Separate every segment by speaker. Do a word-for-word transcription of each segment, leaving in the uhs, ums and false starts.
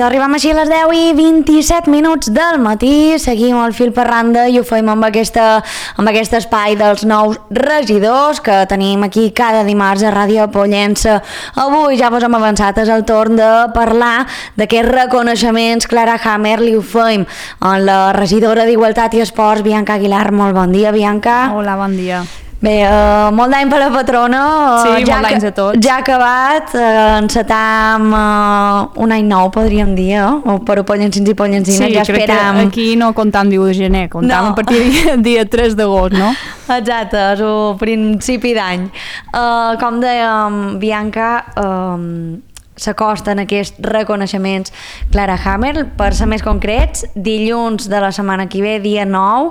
Speaker 1: doncs arribem així a les deu i vint-i-set minuts del matí, seguim el fil per randa i ho fem amb, aquesta, amb aquest espai dels nous regidors que tenim aquí cada dimarts a Ràdio Pollença. Avui ja vos hem avançat, és el torn de parlar d'aquests reconeixements. Clara Hammer, li ho fem amb la regidora d'Igualtat i Esports, Bianca Aguilar. Molt bon dia, Bianca.
Speaker 2: Hola, bon dia.
Speaker 1: Bé, uh, molt d'any per la patrona.
Speaker 2: Sí,
Speaker 1: ja
Speaker 2: molt d'anys a tots.
Speaker 1: Ja ha acabat, uh, encetam uh, un any nou, podríem dir, eh? O per a pollencins i pollencines,
Speaker 2: sí,
Speaker 1: ja esperam.
Speaker 2: Sí, aquí no comptam diu de gener, comptam no. a partir del dia tres d'agost, no?
Speaker 1: Exacte, és el principi d'any. Uh, com dèiem, Bianca, uh, s'acosten aquests reconeixements Clara Hammer. Per ser més concrets, dilluns de la setmana que ve, dia nou,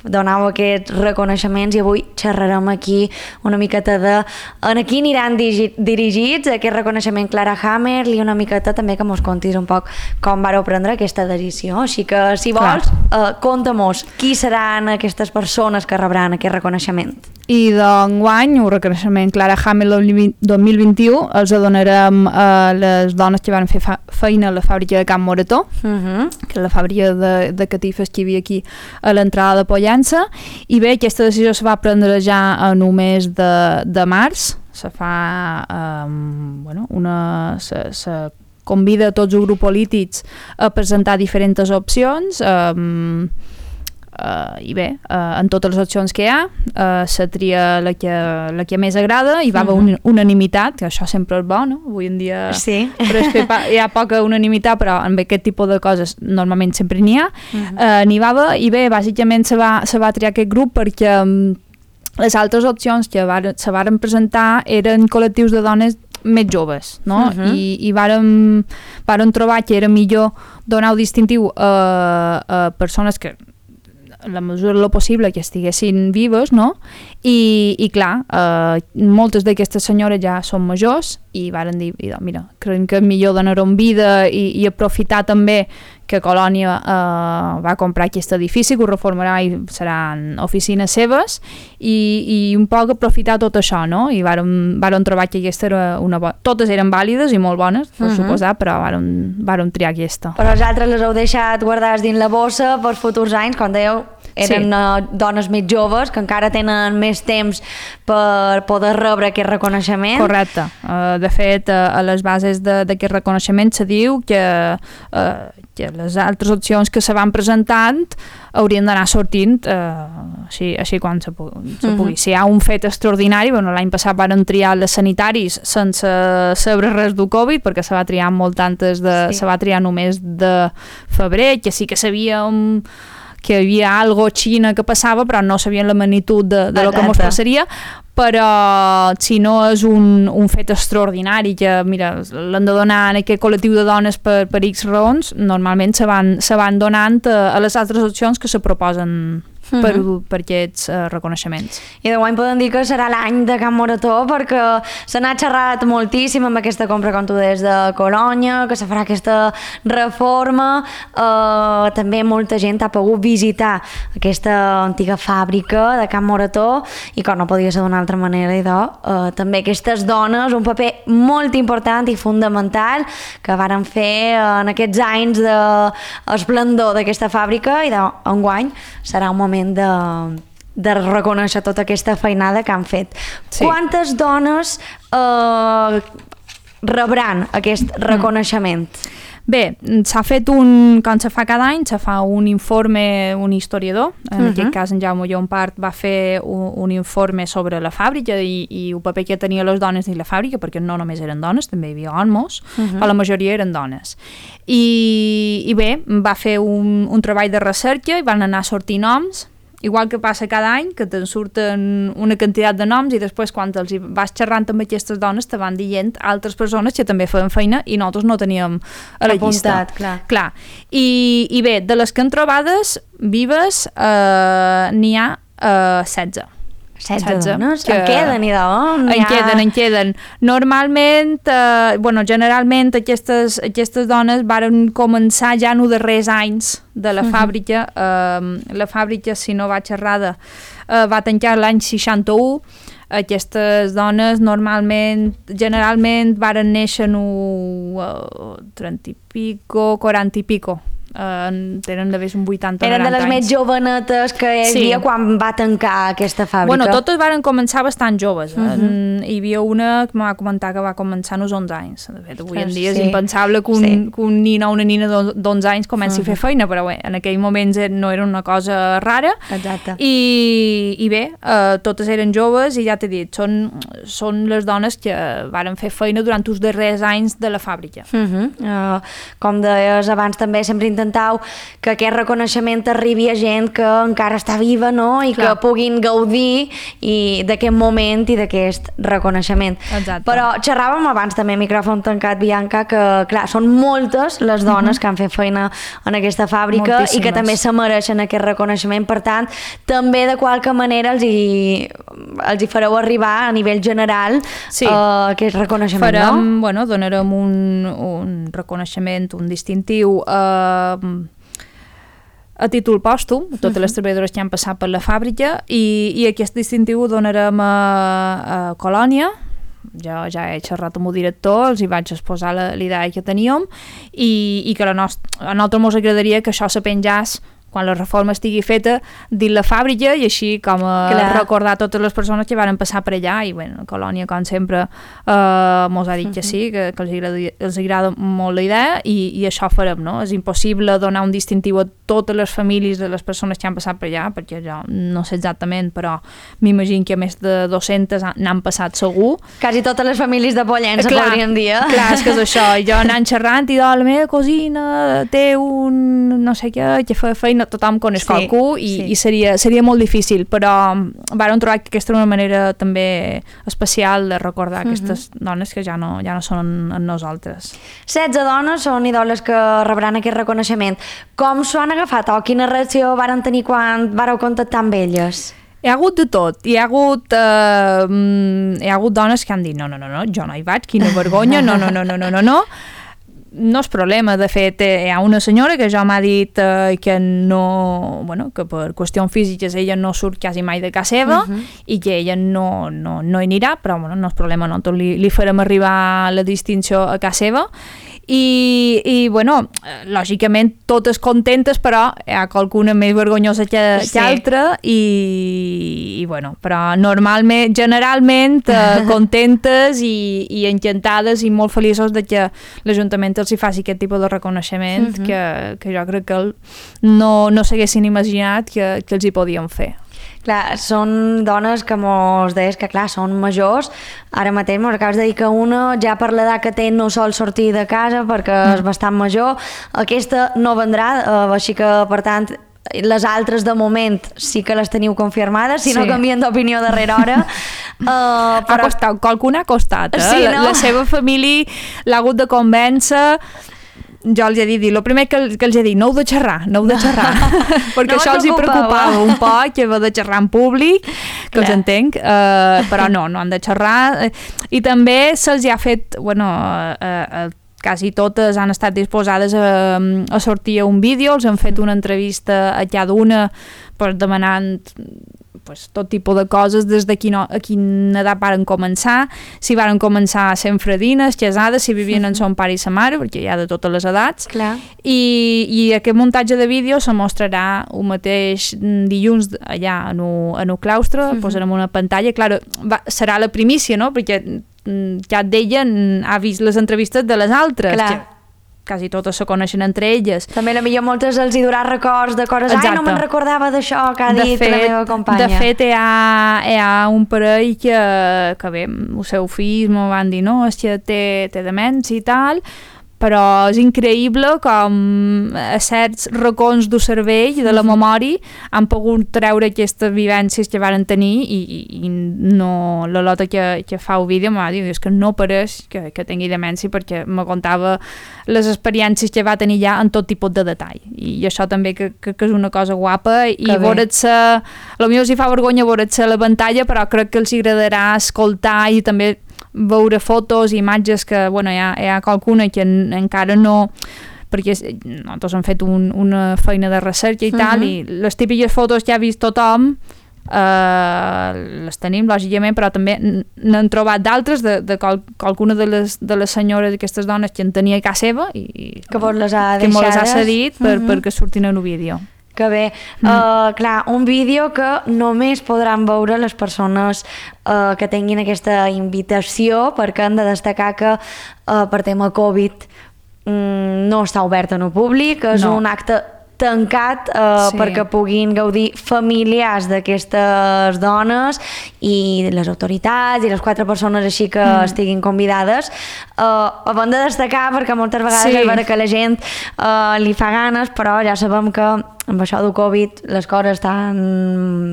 Speaker 1: donau aquests reconeixements i avui xerrarem aquí una miqueta de en qui aniran dirigits aquest reconeixement Clara Hammer i una miqueta també que mos contis un poc com vareu prendre aquesta decisió. Així que, si vols, uh, conta-mos qui seran aquestes persones que rebran aquest reconeixement.
Speaker 2: I d'enguany, un reconeixement Clara Hammer dos mil vint-i-u els donarem a les dones que van fer feina a la fàbrica de Can Morató, uh-huh. que és la fàbrica de, de catifes que hi havia aquí a l'entrada de Pollença. I bé, aquesta decisió se va prendre ja en un mes de, de març. Se fa um, bueno, una... Se, se convida a tots els grups polítics a presentar diferents opcions. Um, Uh, i bé, uh, en totes les opcions que hi ha uh, se tria la que, la que més agrada i va haver uh-huh. un, unanimitat, que això sempre és bo, no? Avui en dia
Speaker 1: sí.
Speaker 2: però és que hi ha poca unanimitat, però amb aquest tipus de coses normalment sempre n'hi ha. Uh-huh. uh, n'hi va haver, i bé, bàsicament se va, se va triar aquest grup perquè um, les altres opcions que var, se varen presentar eren col·lectius de dones més joves, no? Uh-huh. I, i vàrem, vàrem trobar que era millor donar un distintiu a, a persones que en la mesura del possible que estiguessin vives, no? I, i clar, eh, moltes d'aquestes senyores ja són majors i varen dir, mira, creiem que és millor donar-ho en vida i, i aprofitar també que Colònia eh, va comprar aquest edifici, que ho reformarà i seran oficines seves, i, i un poc aprofitar tot això, no? I vàrem, vàrem trobar que aquesta era una bona... Totes eren vàlides i molt bones, per uh-huh. suposar, però vàrem, vàrem triar aquesta.
Speaker 1: Però els altres les heu deixat guardades dins la bossa per futurs anys, com dèieu, eren sí. dones més joves que encara tenen més temps per poder rebre aquest reconeixement.
Speaker 2: Correcte. Uh, de fet, uh, a les bases d'aquest reconeixement se diu que, uh, que les altres opcions que se van presentant haurien d'anar sortint uh, així, així quan se, pu se pugui. Uh-huh. Si hi ha un fet extraordinari, bueno, l'any passat van triar les sanitaris sense saber res del Covid, perquè se va triar molt antes de... Sí. Se va triar només de febrer, que sí que sabíem que hi havia algo a Xina que passava, però no sabien la magnitud de, de lo que ens passaria, però si no és un, un fet extraordinari que, mira, l'han de donar en aquest col·lectiu de dones per, per X raons, normalment se van, se van donant a, a les altres opcions que se proposen per, uh-huh. per aquests uh, reconeixements.
Speaker 1: I d'enguany podem dir que serà l'any de Can Morató, perquè se n'ha xerrat moltíssim amb aquesta compra, com tu deies, de Colònia, que se farà aquesta reforma. Uh, també molta gent ha pogut visitar aquesta antiga fàbrica de Can Morató i com no podia ser d'una altra manera, idò, uh, també aquestes dones, un paper molt important i fundamental que varen fer uh, en aquests anys d'esplendor d'aquesta fàbrica, i d'enguany serà un moment de, de reconèixer tota aquesta feinada que han fet. Sí. Quantes dones eh, rebran aquest reconeixement?
Speaker 2: Bé, s'ha fet un, com se fa cada any, se fa un informe, un historiador, en uh-huh. aquest cas en Jaume Llompart va fer un, un informe sobre la fàbrica i, i el paper que tenia les dones dins la fàbrica, perquè no només eren dones, també hi havia homes, uh-huh. però la majoria eren dones. I, i bé, va fer un, un treball de recerca i van anar a sortir noms, igual que passa cada any, que te'n surten una quantitat de noms i després quan els vas xerrant amb aquestes dones te van dient altres persones que també feien feina i nosaltres no teníem a la llista.
Speaker 1: Apuntat, clar.
Speaker 2: clar. I, I bé, de les que han trobades vives eh, n'hi ha eh, setze.
Speaker 1: setze dones? Que... En queden, idò?
Speaker 2: En ha... queden, en queden. Normalment, eh, bueno, generalment aquestes, aquestes dones varen començar ja en els darrers anys de la uh-huh. fàbrica. Eh, la fàbrica, si no vaig errada, eh, va tancar l'any seixanta-u. Aquestes dones normalment, generalment varen néixer en uh, trenta i pico, quaranta i pico. Uh, tenen d'haver un vuitanta o noranta anys.
Speaker 1: Eren de les més jovenetes que hi havia sí. quan va tancar aquesta fàbrica.
Speaker 2: Bueno, totes varen començar bastant joves. Eh? Uh-huh. Hi havia una que m'ha comentat que va començar als onze anys. De fet, avui en dia sí. és impensable que un, sí. que un nina o una nina d'onze anys comenci uh-huh. a fer feina, però bé, en aquell moment no era una cosa rara.
Speaker 1: Exacte.
Speaker 2: I, i bé, uh, totes eren joves i ja t'he dit, són, són les dones que varen fer feina durant els darrers anys de la fàbrica.
Speaker 1: Uh-huh. Uh, com deies abans, també sempre intentau que aquest reconeixement arribi a gent que encara està viva, no? I clar. Que puguin gaudir d'aquest moment i d'aquest reconeixement.
Speaker 2: Exacte.
Speaker 1: Però xerràvem abans també, micròfon tancat, Bianca, que clar, són moltes les dones uh-huh. que han fet feina en aquesta fàbrica Moltíssimes. I que també se mereixen aquest reconeixement. Per tant, també de qualque manera els hi, els hi fareu arribar a nivell general sí. uh, aquest reconeixement,
Speaker 2: Farem,
Speaker 1: no?
Speaker 2: Bueno, donarem un, un reconeixement, un distintiu uh, a títol pòstum, a totes uh-huh. les treballadores que han passat per la fàbrica i, i aquest distintiu ho donarem a, a Colònia. Jo ja he xerrat amb el director, els hi vaig exposar la, la idea que teníem i, i que la nostra, a nosaltres ens agradaria que això se penjàs quan la reforma estigui feta dins la fàbrica i així com a recordar totes les persones que van passar per allà i bueno, Colònia com sempre eh, mos ha dit que sí, que, que els, agrada, els agrada molt la idea i, i això farem, no? És impossible donar un distintiu a totes les famílies de les persones que han passat per allà, perquè jo no sé exactament, però m'imagino que més de dues-centes n'han passat segur.
Speaker 1: Quasi totes les famílies de Pollença
Speaker 2: clar,
Speaker 1: podríem dir.
Speaker 2: Clar, és que és això, i jo anant xerrant i la meva cosina té un no sé què, que fa feina tothom coneix sí, qualcú i, sí. i seria, seria molt difícil, però vàrem trobar que aquesta era una manera també especial de recordar uh-huh. aquestes dones que ja no, ja no són en, en nosaltres.
Speaker 1: setze dones són idoles que rebran aquest reconeixement. Com s'ho han agafat o quina reacció varen tenir quan vareu contactar amb elles?
Speaker 2: Hi ha hagut de tot. Hi ha hagut, eh, hi ha hagut dones que han dit no, no, no, no, jo no hi vaig, quina vergonya, no, no, no, no, no, no, no. No és problema, de fet hi ha una senyora que ja m'ha dit eh, que no, bueno, que per qüestions físiques ella no surt quasi mai de casa seva uh-huh. i que ella no, no, no hi anirà, però bueno, no és problema, nosaltres li, li farem arribar la distinció a casa seva i, i bueno, lògicament totes contentes, però hi ha qualcuna més vergonyosa que, sí. que altra i, i bueno, però normalment, generalment eh, contentes i, i encantades i molt feliços de que l'Ajuntament els hi faci aquest tipus de reconeixement uh-huh. que, que jo crec que no, no s'haguessin imaginat que, que els hi podien fer.
Speaker 1: Clar, són dones que mos deies que clar, són majors, ara mateix mos acabes de dir que una ja per l'edat que té no sol sortir de casa perquè mm. és bastant major, aquesta no vendrà, eh, així que per tant les altres de moment sí que les teniu confirmades, si sí. no canvien d'opinió darrere hora. Uh,
Speaker 2: però... Ha costat, qualcuna ha costat, eh? Sí, no? la, la seva família l'ha hagut de convèncer. Jo els he dit, el primer que, que els he dit, no heu de xerrar, no heu de xerrar, perquè no això els hi preocupava un poc, que heu de xerrar en públic, que Clar. Els entenc, uh, però no, no han de xerrar, i també se'ls ha fet, bueno, uh, uh, quasi totes han estat disposades a, a sortir a un vídeo, els han fet una entrevista a cada una per demanant pues, tot tipus de coses, des de quina, a quina edat varen començar, si varen començar sent fredines, casades, si vivien en son pare i sa mare, perquè hi ha de totes les edats.
Speaker 1: Clar.
Speaker 2: I, i aquest muntatge de vídeo se mostrarà un mateix dilluns allà en el claustre, uh-huh. posarem una pantalla, clar, va, serà la primícia, no?, perquè cap d'ella ha vist les entrevistes de les altres,
Speaker 1: Clar.
Speaker 2: que quasi totes se coneixen entre elles.
Speaker 1: També a millor moltes els hi durà records de coses, Exacte. Ai, no me'n recordava d'això que ha
Speaker 2: de
Speaker 1: dit
Speaker 2: fet,
Speaker 1: la meva companya.
Speaker 2: De fet, hi ha, hi ha un parell que, que bé, el seu fill m'ho van dir, no, és que té, té demència i tal, però és increïble com a certs racons del cervell, de la memòria, han pogut treure aquestes vivències que varen tenir i, i, i no, la Lota que, que fa el vídeo m'ha dit, és que no pareix que, que tingui demència perquè me contava les experiències que va tenir ja en tot tipus de detall. I això també que, que, que és una cosa guapa i veure't-se, potser els hi fa vergonya veure't-se a la pantalla, però crec que els agradarà escoltar i també veure fotos i imatges que, bueno, hi ha, hi ha qualcuna que en, encara no, perquè nosaltres hem fet un, una feina de recerca i tal, uh-huh. i les típiques fotos que ha vist tothom Uh, les tenim, lògicament, però també n'han trobat d'altres, de, de qual, qualcuna de les, de les senyores d'aquestes dones que en tenia a casa seva i
Speaker 1: que vos les ha
Speaker 2: que
Speaker 1: deixades.
Speaker 2: les ha cedit per,
Speaker 1: uh-huh.
Speaker 2: perquè surtin en un vídeo.
Speaker 1: Que bé. Mm. Uh, clar, un vídeo que només podran veure les persones uh, que tinguin aquesta invitació, perquè han de destacar que uh, per tema Covid um, no està obert en el públic, és
Speaker 2: no.
Speaker 1: un acte tancat uh,
Speaker 2: sí.
Speaker 1: perquè puguin gaudir familiars d'aquestes dones i les autoritats i les quatre persones així que mm. estiguin convidades. Uh, ho hem de destacar perquè moltes vegades sí. és vera que la gent uh, li fa ganes, però ja sabem que amb això del Covid les coses estan,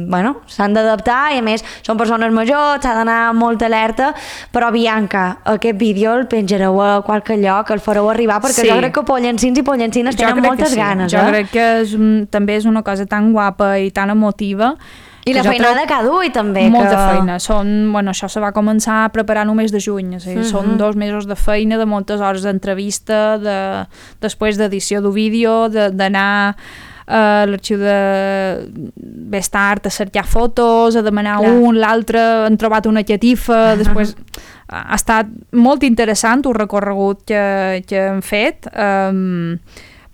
Speaker 1: bueno, s'han d'adaptar i a més són persones majors, s'ha d'anar molt alerta, però Bianca, aquest vídeo el penjareu a qualque lloc, el fareu arribar, perquè sí. jo crec que pollencins i pollencines tenen moltes
Speaker 2: sí.
Speaker 1: ganes.
Speaker 2: Jo
Speaker 1: eh?
Speaker 2: crec que és un, també és una cosa tan guapa i tan emotiva.
Speaker 1: I la feinada que du i també.
Speaker 2: Molta
Speaker 1: que...
Speaker 2: feina. Són, bueno, això se va començar a preparar només de juny, o sigui, uh-huh. són dos mesos de feina, de moltes hores d'entrevista, de, després d'edició del vídeo, d'anar a l'arxiu de Bestart a cercar fotos, a demanar Clar. un, l'altre, han trobat una catifa, després ha estat molt interessant el recorregut que, que hem fet, um,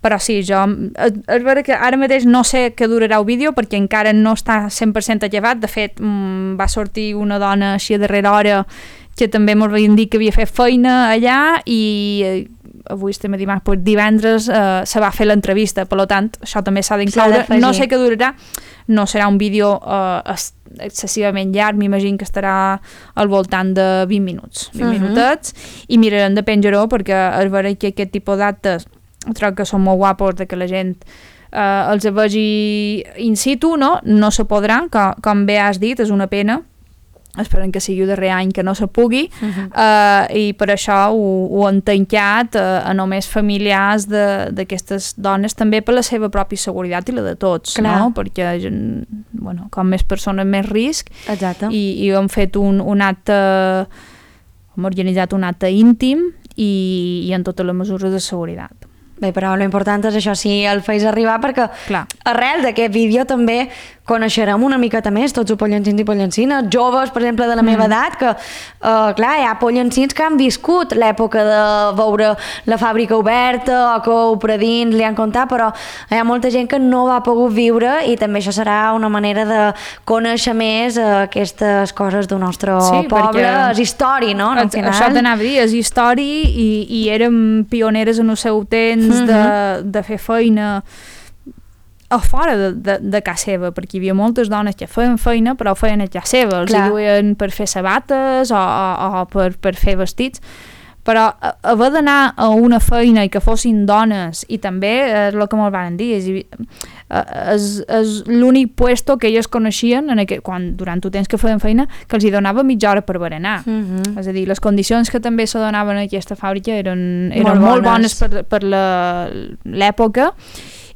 Speaker 2: però sí, jo, és vera que ara mateix no sé què durarà el vídeo perquè encara no està cent per cent acabat, de fet um, va sortir una dona així a darrera hora que també ens havien dit que havia fet feina allà i avui estem a dimarts, doncs divendres eh, se va fer l'entrevista, per tant això també s'ha d'incloure, no sé què durarà, no serà un vídeo eh, excessivament llarg, m'imagino que estarà al voltant de vint minuts, vint uh-huh. minutets, i mirarem de penjar-ho perquè és vera que aquest tipus d'actes trobo que són molt guapos, de que la gent eh, els vegi in situ, no? No se podrà, com, com bé has dit, és una pena, esperem que sigui el darrer any que no se pugui, uh-huh. uh, i per això ho, ho han tancat uh, a només familiars d'aquestes dones, també per la seva pròpia seguretat i la de tots, Clar. no? Perquè bueno, com més persones més risc.
Speaker 1: Exacte.
Speaker 2: I, i hem fet un, un acte, hem organitzat un acte íntim i, i en totes les mesures de seguretat.
Speaker 1: Bé, però l'important és això, si el feis arribar, perquè
Speaker 2: Clar.
Speaker 1: arrel d'aquest vídeo també coneixerem una miqueta més tots els pollencins i pollencines, joves, per exemple, de la meva mm. edat, que, uh, clar, hi ha pollencins que han viscut l'època de veure la fàbrica oberta o que ho predins li han contat, però hi ha molta gent que no va pogut viure i també això serà una manera de conèixer més uh, aquestes coses del nostre
Speaker 2: sí,
Speaker 1: poble. És història, no? Al final.
Speaker 2: Això t'anava a dir, és història i, i érem pioneres en el seu temps mm-hmm. de, de fer feina a fora de, de, de casa seva, perquè hi havia moltes dones que feien feina però ho feien a casa seva, els hi duien per fer sabates o, o, o per, per fer vestits, però haver d'anar a una feina i que fossin dones, i també és el que me'l van dir, és, és, és l'únic puesto que elles coneixien en aquest, quan, durant el temps que feien feina, que els hi donava mitja hora per berenar. Mm-hmm. És a dir, les condicions que també se donaven a aquesta fàbrica eren, eren molt, molt bones, bones per, per l'època,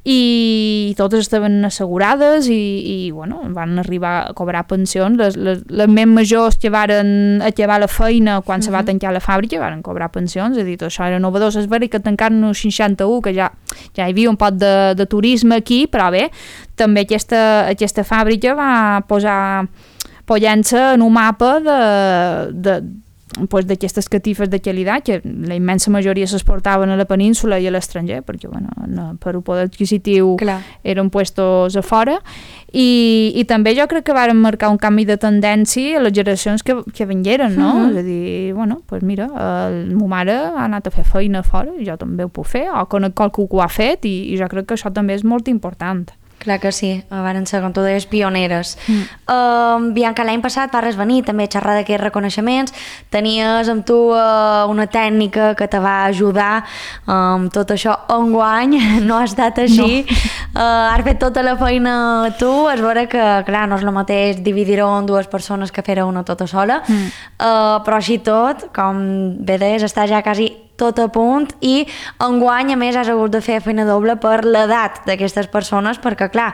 Speaker 2: i totes estaven assegurades i, i bueno, van arribar a cobrar pensions. Les, les, les més majors que varen acabar la feina quan uh-huh. se va tancar la fàbrica varen cobrar pensions, és a dir, tot això era novedós. És vera que tancaren el seixanta-u, que ja, ja hi havia un poc de, de turisme aquí, però bé, també aquesta, aquesta fàbrica va posar pollença en un mapa de, de pues, d'aquestes catifes de qualitat que la immensa majoria s'exportaven a la península i a l'estranger, perquè bueno, no, per un poder adquisitiu Clar. eren puestos a fora, i, i també jo crec que varen marcar un canvi de tendència a les generacions que, que vengueren, no? Mm-hmm. És a dir, bueno, pues mira, el, ma mare ha anat a fer feina a fora, jo també ho puc fer, o conec qualcú que ho ha fet, i, i jo crec que això també és molt important.
Speaker 1: Clar que sí, van ser, com tu deies, pioneres. Mm. Uh, Bianca, l'any passat vas venir també a xerrar d'aquests reconeixements, tenies amb tu uh, una tècnica que te va ajudar amb um, tot això. Enguany no ha estat així, no. uh, has fet tota la feina tu, és vera que, clar, no és el mateix dividir-ho en dues persones que fer-ho una tota sola, mm. uh, però així tot, com bé deies, està ja quasi tot a punt, i enguany a més has hagut de fer feina doble per l'edat d'aquestes persones, perquè clar,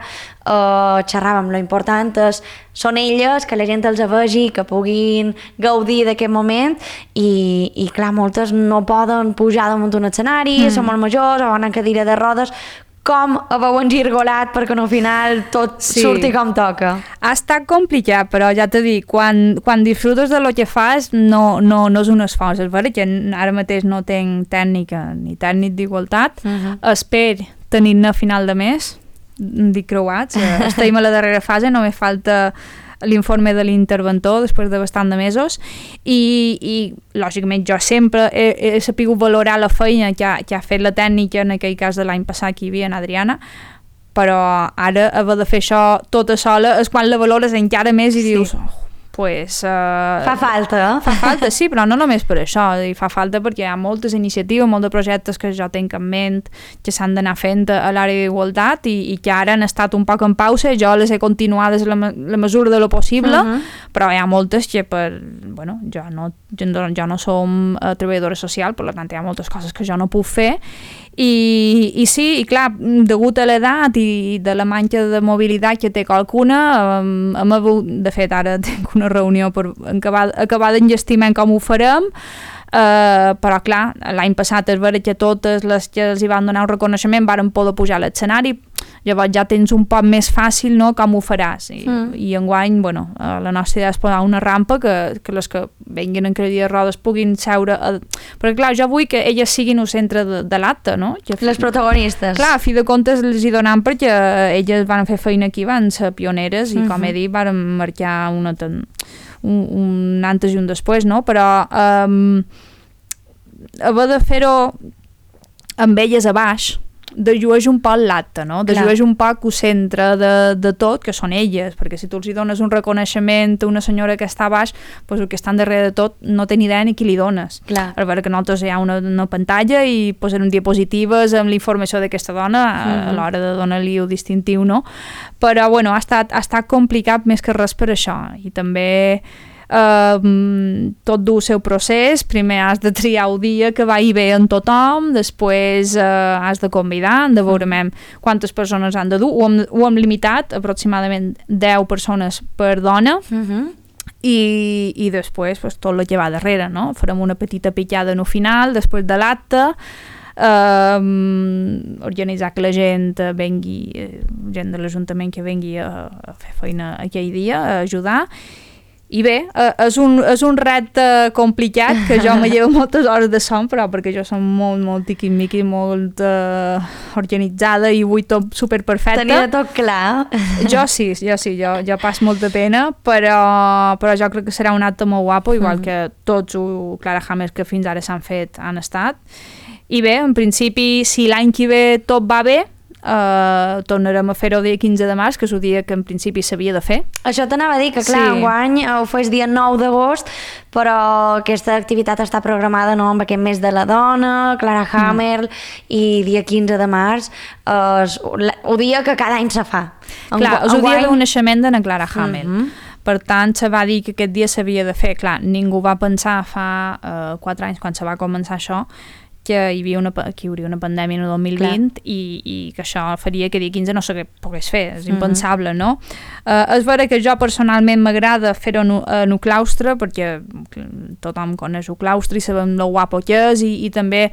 Speaker 1: eh, xerràvem, lo important és, són elles, que la gent els vegi, que puguin gaudir d'aquest moment, i, i clar, moltes no poden pujar damunt un escenari, mm. són molt majors o van en cadira de rodes. com haveu engirgolat perquè al final tot sí. surti com toca.
Speaker 2: Ha estat complicat, però ja t'he dit, quan, quan disfrutes de lo que fas no, no, no és un esforç. És veritat que ara mateix no tinc tècnica ni tècnic d'igualtat. Uh-huh. Espero tenir-ne a final de mes, dic creuats. Estem a la darrera fase, només falta l'informe de l'interventor després de bastant de mesos i, i lògicament jo sempre he, he sapigut valorar la feina que ha, que ha fet la tècnica, en aquell cas de l'any passat que hi havia en Adriana, però ara haver de fer això tota sola és quan la valores encara més i sí. dius oh, pues, uh,
Speaker 1: fa falta, eh?
Speaker 2: Fa falta, sí, però no només per això, i fa falta perquè hi ha moltes iniciatives, molts de projectes que jo tinc en ment que s'han d'anar fent a l'àrea d'igualtat i, i que ara han estat un poc en pausa, jo les he continuades la, la mesura de lo possible, uh-huh. però hi ha moltes que per, bueno, jo no, jo no som treballadora social, per tant hi ha moltes coses que jo no puc fer I, i sí, i clar, degut a l'edat i de la manca de mobilitat que té qualcuna, hem, hem hagut, de fet ara tinc una reunió per acabar, acabar d'enllestimar com ho farem, Uh, però clar, l'any passat és vera que totes les que els hi van donar un reconeixement varen poder pujar a l'escenari, llavors ja tens un poc més fàcil, no?, com ho faràs i, mm. i enguany, bueno, uh, la nostra idea és posar una rampa que, que les que venguin en cadira de rodes puguin seure a... perquè clar, jo vull que elles siguin el centre de, de l'acte, no? Que,
Speaker 1: les protagonistes.
Speaker 2: Clar, a fi de comptes els hi donem perquè elles van fer feina aquí, van ser pioneres i mm-hmm. com he dit, van marcar una... Ten... Un, un antes i un després, no? Però um, haver de fer-ho amb elles a baix dejueix un poc l'acte, no? Dejueix un poc el centre de, de tot, que són elles, perquè si tu els hi dones un reconeixement a una senyora que està a baix, doncs el que estan darrere de tot no té ni idea ni qui li dones. Clar. A veure que nosaltres hi ha una, una pantalla i posen diapositives amb la informació d'aquesta dona mm-hmm. a l'hora de donar-li el distintiu, no? Però, bueno, ha estat, ha estat complicat més que res per això. I també... Uh, tot du el seu procés, primer has de triar el dia que vagi bé en tothom, després uh, has de convidar, de veure quantes persones han de dur, ho hem, ho hem limitat aproximadament deu persones per dona uh-huh. i, i després pues, tot el que va darrere, no? Farem una petita pitjada no final després de l'acte, Uh, organitzar que la gent vengui, gent de l'Ajuntament que vengui a, a fer feina aquell dia, a ajudar. I bé, eh, és, un, és un repte complicat que jo me llevo moltes hores de son, però perquè jo som molt, molt tiquimiqui, molt uh, organitzada i vull tot superperfecte.
Speaker 1: Tenia tot clar. Jo
Speaker 2: sí, jo sí, jo, jo passo molta pena, però, però jo crec que serà un acte molt guapo, igual mm. que tots els Clara Hammer que fins ara s'han fet han estat. I bé, en principi, si l'any que ve tot va bé, Uh, tornarem a fer-ho el dia quinze de març, que és el dia que en principi s'havia de fer.
Speaker 1: Això t'anava a dir, que clar, sí. enguany ho fes dia nou d'agost, però aquesta activitat està programada no, amb aquest mes de la dona, Clara Hammer, mm. i dia quinze de març és el dia que cada any se fa.
Speaker 2: Clar, és el dia del naixement de na Clara Hammer. Mm-hmm. Per tant, se va dir que aquest dia s'havia de fer. Clar, ningú va pensar fa uh, quatre anys, quan se va començar això, que hi havia una, que hi hauria una pandèmia en el dos mil vint i, i que això faria que dia quinze no se pogués fer, és impensable, no? Uh, és vera que jo personalment m'agrada fer-ho en el claustre, perquè tothom coneix el claustre i sabem lo guapo que és, i, i també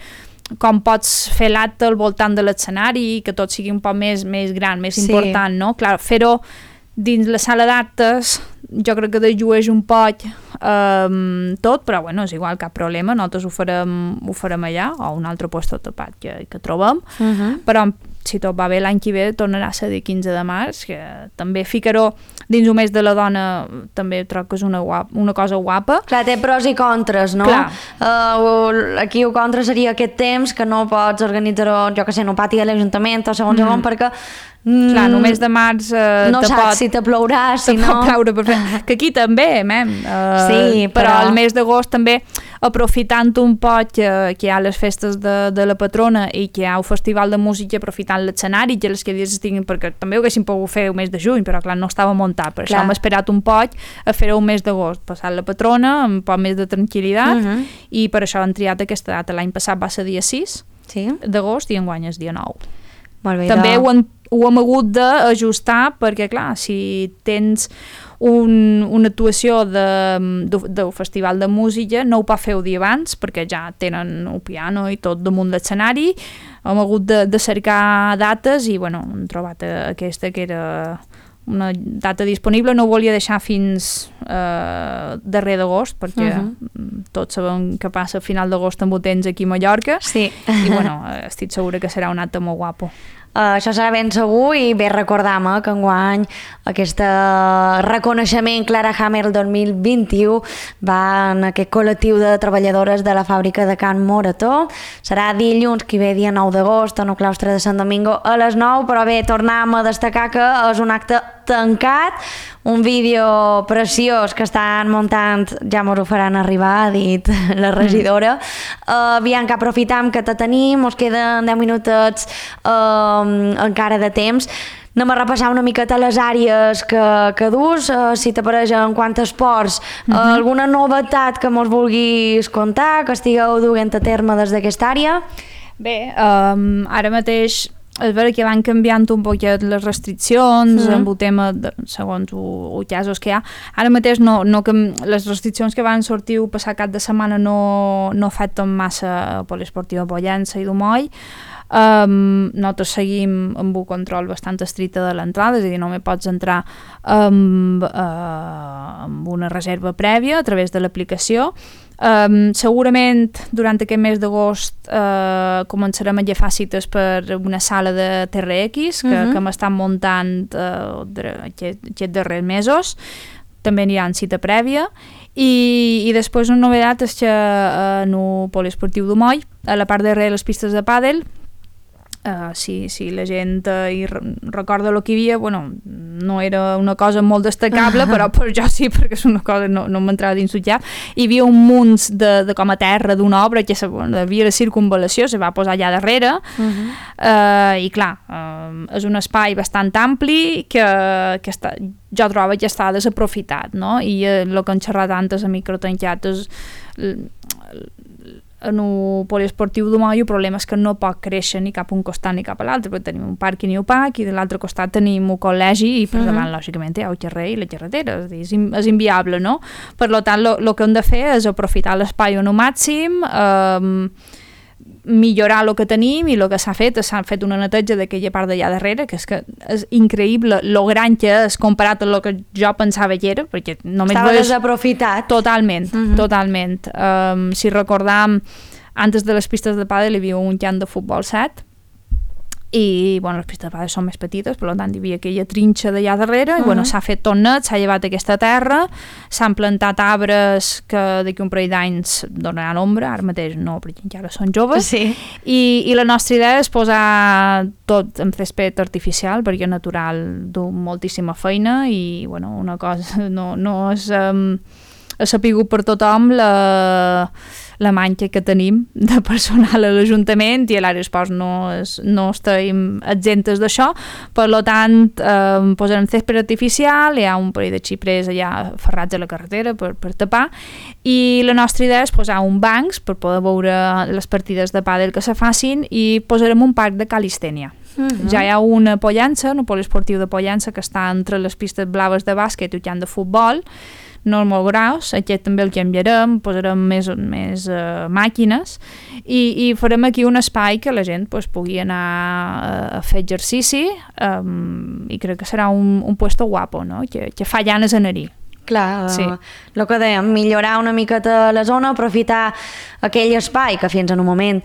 Speaker 2: com pots fer l'acte al voltant de l'escenari, que tot sigui un poc més, més gran, més sí. important, no? Clar, fer-ho dins la sala d'actes jo crec que dejueix un poc um, tot, però bueno, és igual, cap problema, nosaltres ho farem, ho farem allà, o un altre lloc tapat que, que trobem, uh-huh. però si tot va bé l'any que ve tornarà a ser el quinze de març, que també ficar-ho dins un mes de la dona també trobo que és una, guapa, una cosa guapa.
Speaker 1: Clar, té pros i contres, no? Uh, aquí el contra seria aquest temps que no pots organitzar-ho, jo que sé, en un pati de l'Ajuntament o segons mm. on, perquè
Speaker 2: Mm, clar, només de març eh,
Speaker 1: no saps pot, si te plourà, si no...
Speaker 2: Ploure, perfecte. Que aquí també, mem. Uh,
Speaker 1: sí, però...
Speaker 2: però el mes d'agost també, aprofitant un poc que, que hi ha les festes de, de la patrona i que hi ha el festival de música, aprofitant l'escenari, que les que dies estiguin, perquè també ho haguéssim pogut fer el mes de juny, però clar, no estava muntat, per clar. Això hem esperat un poc a fer-ho el mes d'agost, passar la patrona, amb un poc més de tranquil·litat, uh-huh. i per això han triat aquesta data. L'any passat va ser dia sis sí. d'agost i enguany és dia nou.
Speaker 1: Molt bé,
Speaker 2: també
Speaker 1: no.
Speaker 2: ho, han, ho hem hagut d'ajustar perquè, clar, si tens un, una actuació de, de, del festival de música, no ho pot fer el dia abans perquè ja tenen el piano i tot damunt l'escenari. Hem hagut de, de cercar dates i bueno, hem trobat aquesta que era una data disponible. No ho volia deixar fins eh, darrer d'agost perquè uh -huh. tots sabem que passa a final d'agost amb el temps aquí a Mallorca.
Speaker 1: Sí.
Speaker 2: I bueno, estic segura que serà un acte molt guapo.
Speaker 1: Uh, això serà ben segur i bé recordam eh, que enguany aquest reconeixement Clara Hammer dos mil vint-i-u va en aquest col·lectiu de treballadores de la fàbrica de Can Morató. Serà dilluns, que ve dia nou d'agost, en el claustre de Sant Domingo a les nou, però bé, tornem a destacar que és un acte tancat, un vídeo preciós que estan muntant, ja mos ho faran arribar, ha dit la regidora. Mm. Uh, Bianca, aprofitam que te tenim, us queden deu minutets uh, encara de temps. Anem a repassar una miqueta les àrees que, que dus, uh, si t'apareix en quant a esports, uh, uh-huh. alguna novetat que mos vulguis contar, que estigueu duent a terme des d'aquesta àrea?
Speaker 2: Bé, um, ara mateix és vera que van canviant un poquet les restriccions mm. amb el tema, de, segons els casos que hi ha. Ara mateix no, no, les restriccions que van sortir el passat cap de setmana no, no afecten massa a Poliesportiu de Pollença i d'Umoll. Um, nosaltres seguim amb un control bastant estricte de l'entrada, és a dir, només pots entrar amb, uh, amb una reserva prèvia a través de l'aplicació. Um, segurament durant aquest mes d'agost uh, començarem a agafar cites per una sala de T R X que, uh-huh. que m'estan muntant uh, aquests darrers mesos. També n'hi ha cita prèvia i, i després una novetat és que uh, en el Poliesportiu d'Umoll, a la part darrere de les pistes de pàdel, Uh, si, si la gent uh, hi recorda el que hi havia, bueno, no era una cosa molt destacable, però per jo sí, perquè és una cosa, no, no m'entrava dins el cap. Hi havia un munt de, de com a terra d'una obra que havia de circunvalació, se va posar allà darrere, uh-huh. uh, i clar, uh, és un espai bastant ampli que, que està, jo trobo que està desaprofitat, no? I el uh, que han xerrat antes a microtancat és en el Poliesportiu d'Umoll el problema és que no pot créixer ni cap a un costat ni cap a l'altre, perquè tenim un pàrquing i un parc i de l'altre costat tenim un col·legi i per davant, uh-huh. lògicament, hi ha el carrer i la carretera, és, dir, és, és inviable, no? Per tant, el que hem de fer és aprofitar l'espai al màxim, eh, millorar el que tenim i el que s'ha fet, s'ha fet una neteja d'aquella part d'allà darrere, que és que és increïble lo gran que és comparat amb el que jo pensava que era, perquè només
Speaker 1: estava
Speaker 2: veus...
Speaker 1: desaprofitat.
Speaker 2: Totalment, uh-huh. totalment. Um, si recordam, antes de les pistes de pàdel hi havia un camp de futbol set, i bueno, les pistes de pàdel són més petites, per tant hi havia aquella trinxa d'allà darrere, uh-huh. i bueno, s'ha fet tot net, s'ha llevat aquesta terra, s'han plantat arbres que d'aquí un parell d'anys donaran ombra, ara mateix no, perquè encara són joves,
Speaker 1: sí.
Speaker 2: I, i la nostra idea és posar tot en césped artificial, perquè natural du moltíssima feina i bueno, una cosa no, no és... Um, ha sapigut per tothom la, la manca que tenim de personal a l'Ajuntament i a l'àrea d'esports no, és, no estem exemptes d'això, per tant eh, posarem césped artificial, hi ha un parell de xiprers allà ferrats a la carretera per, per tapar, i la nostra idea és posar un bancs per poder veure les partides de pàdel que se facin i posarem un parc de calistènia. Uh-huh. Ja hi ha una Pollença, un poliesportiu de Pollença que està entre les pistes blaves de bàsquet i el camp de futbol, no molt gros, aquest també el canviarem, posarem més, més uh, màquines i, i farem aquí un espai que la gent pues, pugui anar a, a fer exercici um, i crec que serà un, un puesto guapo, no? que, que fa ganes anar-hi.
Speaker 1: Clar,
Speaker 2: sí.
Speaker 1: el que dèiem, millorar una miqueta la zona, aprofitar aquell espai que fins en un moment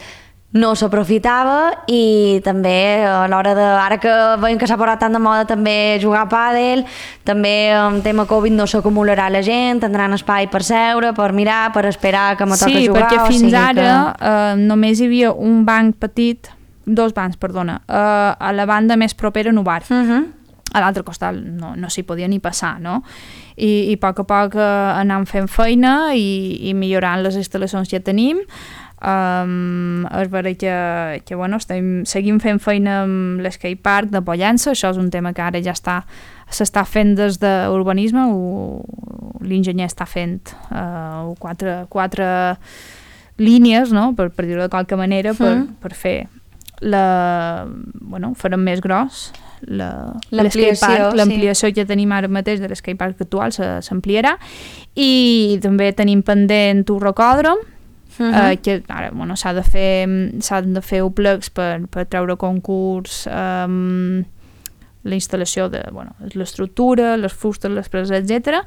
Speaker 1: no s'aprofitava i també a l'hora de... Ara que veiem que s'ha posat tant de moda també jugar a pàdel, també en tema Covid no s'acumularà la gent, tindran espai per seure, per mirar, per esperar que me toca
Speaker 2: sí,
Speaker 1: jugar.
Speaker 2: Sí, perquè fins ara
Speaker 1: que...
Speaker 2: eh, només hi havia un banc petit, dos bancs, perdona, eh, a la banda més propera en un bar. Uh-huh. A l'altre costat no, no s'hi podia ni passar, no? I, i a poc a poc eh, anam fent feina i, i millorant les instal·lacions que tenim. Um, és vera que, que bueno, estem, seguim fent feina amb l'skatepark de Pollença, això és un tema que ara ja està s'està fent des d'urbanisme, l'enginyer està fent uh, quatre, quatre línies, no? per, per dir-ho de qualque manera, per, mm. per fer la... bueno, farem més gros l'ampliació l'ampliació sí. que tenim ara mateix de l'escapepark actual s'ampliarà, i també tenim pendent un rocòdrom, uh -huh. eh, que ara bueno, s'ha de fer s'han de fer plecs per, per treure concurs um, la instal·lació de bueno, l'estructura, les fustes, les preses, etcètera.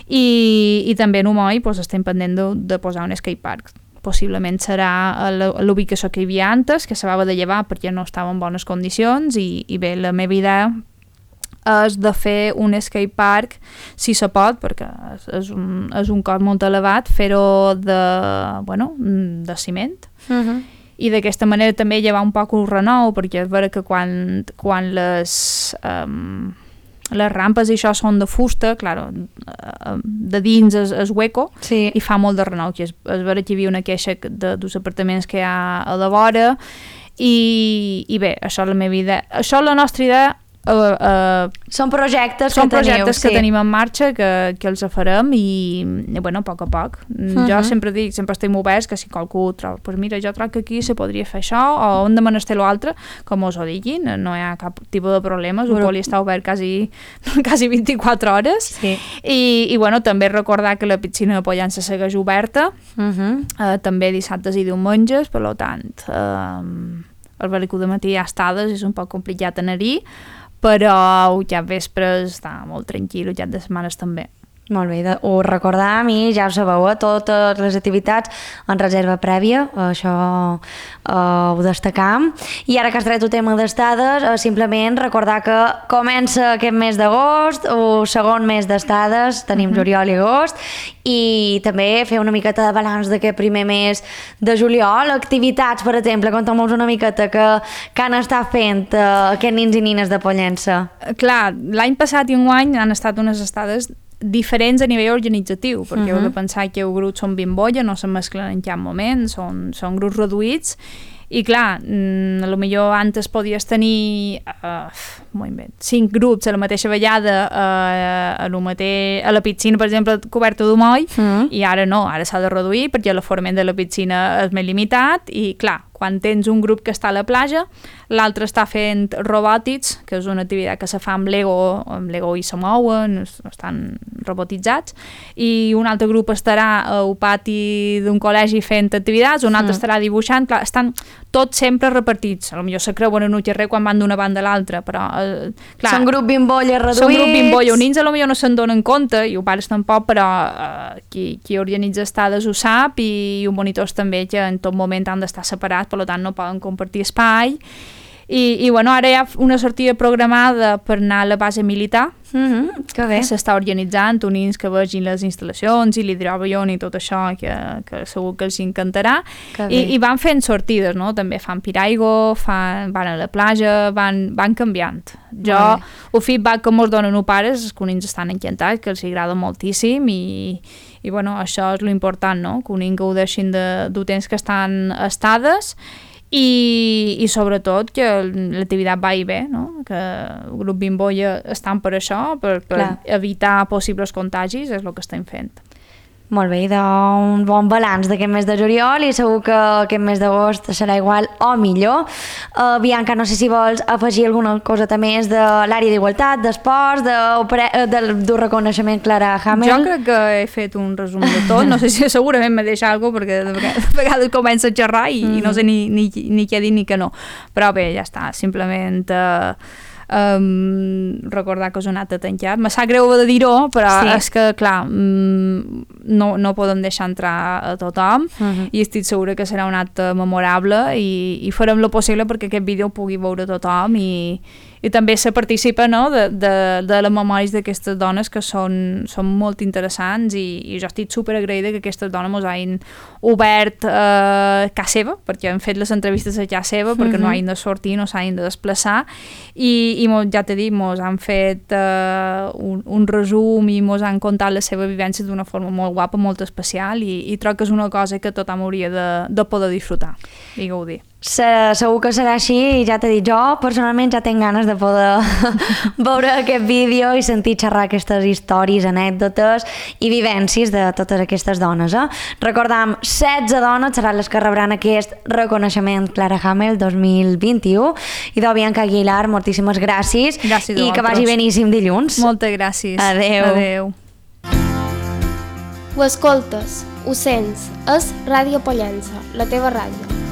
Speaker 2: I, i també en Humoi pues, estem pendent de, de posar un skatepark. Possiblement serà a l'ubicació que hi havia antes, que s'havia de llevar perquè no estava en bones condicions, i, i bé, la meva idea és de fer un skatepark, si se pot, perquè és, és, un, és un cost molt elevat, fer-ho de, bueno, de ciment, uh -huh. i d'aquesta manera també llevar un poc un renou, perquè és vera que quan, quan les... Um, les rampes i això són de fusta, clar, de dins és, és hueco, sí. i fa molt de renou, que és, és vera que hi havia una queixa de, dels apartaments que hi ha a la vora, i, i bé, això és la meva idea, això és la nostra idea. Uh, uh,
Speaker 1: són projectes,
Speaker 2: són
Speaker 1: que,
Speaker 2: projectes
Speaker 1: teniu,
Speaker 2: que sí. tenim en marxa, que, que els farem, i, i bueno, a poc a poc. Uh-huh. Jo sempre dic, sempre estem oberts, que si qualcú troba, pues mira, jo trobo que aquí se podria fer això, o hem de menester l'altre, com us ho diguin, no hi ha cap tipus de problemes, el poli està obert quasi, quasi vint-i-quatre hores, sí. I, i bueno, també recordar que la piscina de Pollença segueix oberta, uh-huh. uh, també dissabtes i diumenges, per tant, uh, el velicú de matí hi ha estades, és un poc complicat anar-hi, però ja vespres està molt tranquil, ja de setmanes també.
Speaker 1: Molt bé, de, ho recordam, i ja ho sabeu, eh? Totes les activitats en reserva prèvia, això eh, ho destacam. I ara que has tret el tema d'estades, eh, simplement recordar que comença aquest mes d'agost, o segon mes d'estades, tenim uh-huh. juliol i agost, i també fer una miqueta de balanç d'aquest primer mes de juliol, activitats, per exemple, conta'm-nos una miqueta que, que han estat fent eh, aquests nins i nines de Pollença.
Speaker 2: Clar, l'any passat i enguany han estat unes estades diferents a nivell organitzatiu, perquè uh-huh. heu de pensar que els grups són bimbolla, no se mesclen en cap moment, són, són grups reduïts, i clar, mm, a lo millor antes podies tenir uh, cinc grups a la mateixa vegada uh, a, lo mate- a la piscina, per exemple, coberta d'Humoi, uh-huh. i ara no, ara s'ha de reduir perquè l'aforament de la piscina és més limitat, i clar, quan tens un grup que està a la platja, l'altre està fent robòtics, que és una activitat que se fa amb Lego, amb Lego i se mouen, estan robotitzats, i un altre grup estarà al pati d'un col·legi fent activitats, un altre mm. estarà dibuixant, clar, estan tots sempre repartits, potser se creuen en un carrer quan van d'una banda a l'altra, però eh, clar,
Speaker 1: són grup bimbolla reduïts,
Speaker 2: són grup bimbolla, els nins potser no se'n donen compte, i els pares tampoc, però eh, qui, qui organitza estades ho sap, i els monitors també, que en tot moment han d'estar separats, per tant no poden compartir espai, i, i bueno, ara hi ha una sortida programada per anar a la base militar,
Speaker 1: mm-hmm, que bé.
Speaker 2: S'està organitzant, unins que vegin les instal·lacions i l'hidroavió i tot això, que, que segur que els encantarà, I, i van fent sortides, no? També fan piraigo, fan, van a la platja, van, van canviant. Jo, el feedback que mos donen els pares és que uns estan encantats, que els agrada moltíssim, i, i bueno, això és l'important, no? Que uns gaudeixin de, del temps que estan estades, I, i sobretot que l'activitat va i bé, no? Que el grup Bimbolla estan per això, per, per evitar possibles contagis, és el que estem fent.
Speaker 1: Molt bé, d'un bon balanç d'aquest mes de juliol, i segur que aquest mes d'agost serà igual o millor. Uh, Bianca, no sé si vols afegir alguna cosa més de l'àrea d'igualtat, d'esports, de, de, del reconeixement Clara Hamel.
Speaker 2: Jo crec que he fet un resum de tot, no sé si segurament m'he deixat alguna cosa, perquè de vegades, de vegades comença a xerrar i, mm. i no sé ni, ni, ni què dir ni què no. Però bé, ja està, simplement... Uh, Um, recordar que us he anat a tancar. Me sap greu de dir-ho, però sí. És que, clar, mm, no, no podem deixar entrar a tothom, uh-huh. i estic segura que serà un acte memorable, i, i farem el possible perquè aquest vídeo ho pugui veure tothom, i, i també se participa, no?, de, de, de les memòries d'aquestes dones, que són, són molt interessants, i, i jo estic superagraïda que aquestes dones mos hagin obert eh, casa seva, perquè han fet les entrevistes a casa seva, perquè uh-huh. no hagin de sortir, no s'hagin de desplaçar, i i mos, ja t'he dit, mos han fet uh, un, un resum, i mos han contat la seva vivència d'una forma molt molt guapa, molt especial i, i troc que és una cosa que tothom hauria de, de poder disfrutar i gaudir.
Speaker 1: Se, segur que serà així i ja t'he dit, jo personalment ja tinc ganes de poder veure aquest vídeo i sentir xerrar aquestes històries, anècdotes i vivències de totes aquestes dones. Eh? Recordam, setze dones seran les que rebran aquest reconeixement Clara Hamel dos mil vint-i-u. I de Bianca Aguilar, moltíssimes gràcies,
Speaker 2: gràcies
Speaker 1: i que vagi beníssim dilluns.
Speaker 2: Moltes gràcies.
Speaker 1: Adeu.
Speaker 2: Adeu.
Speaker 3: Ho escoltes, ho sents, és Ràdio Pollença, la teva ràdio.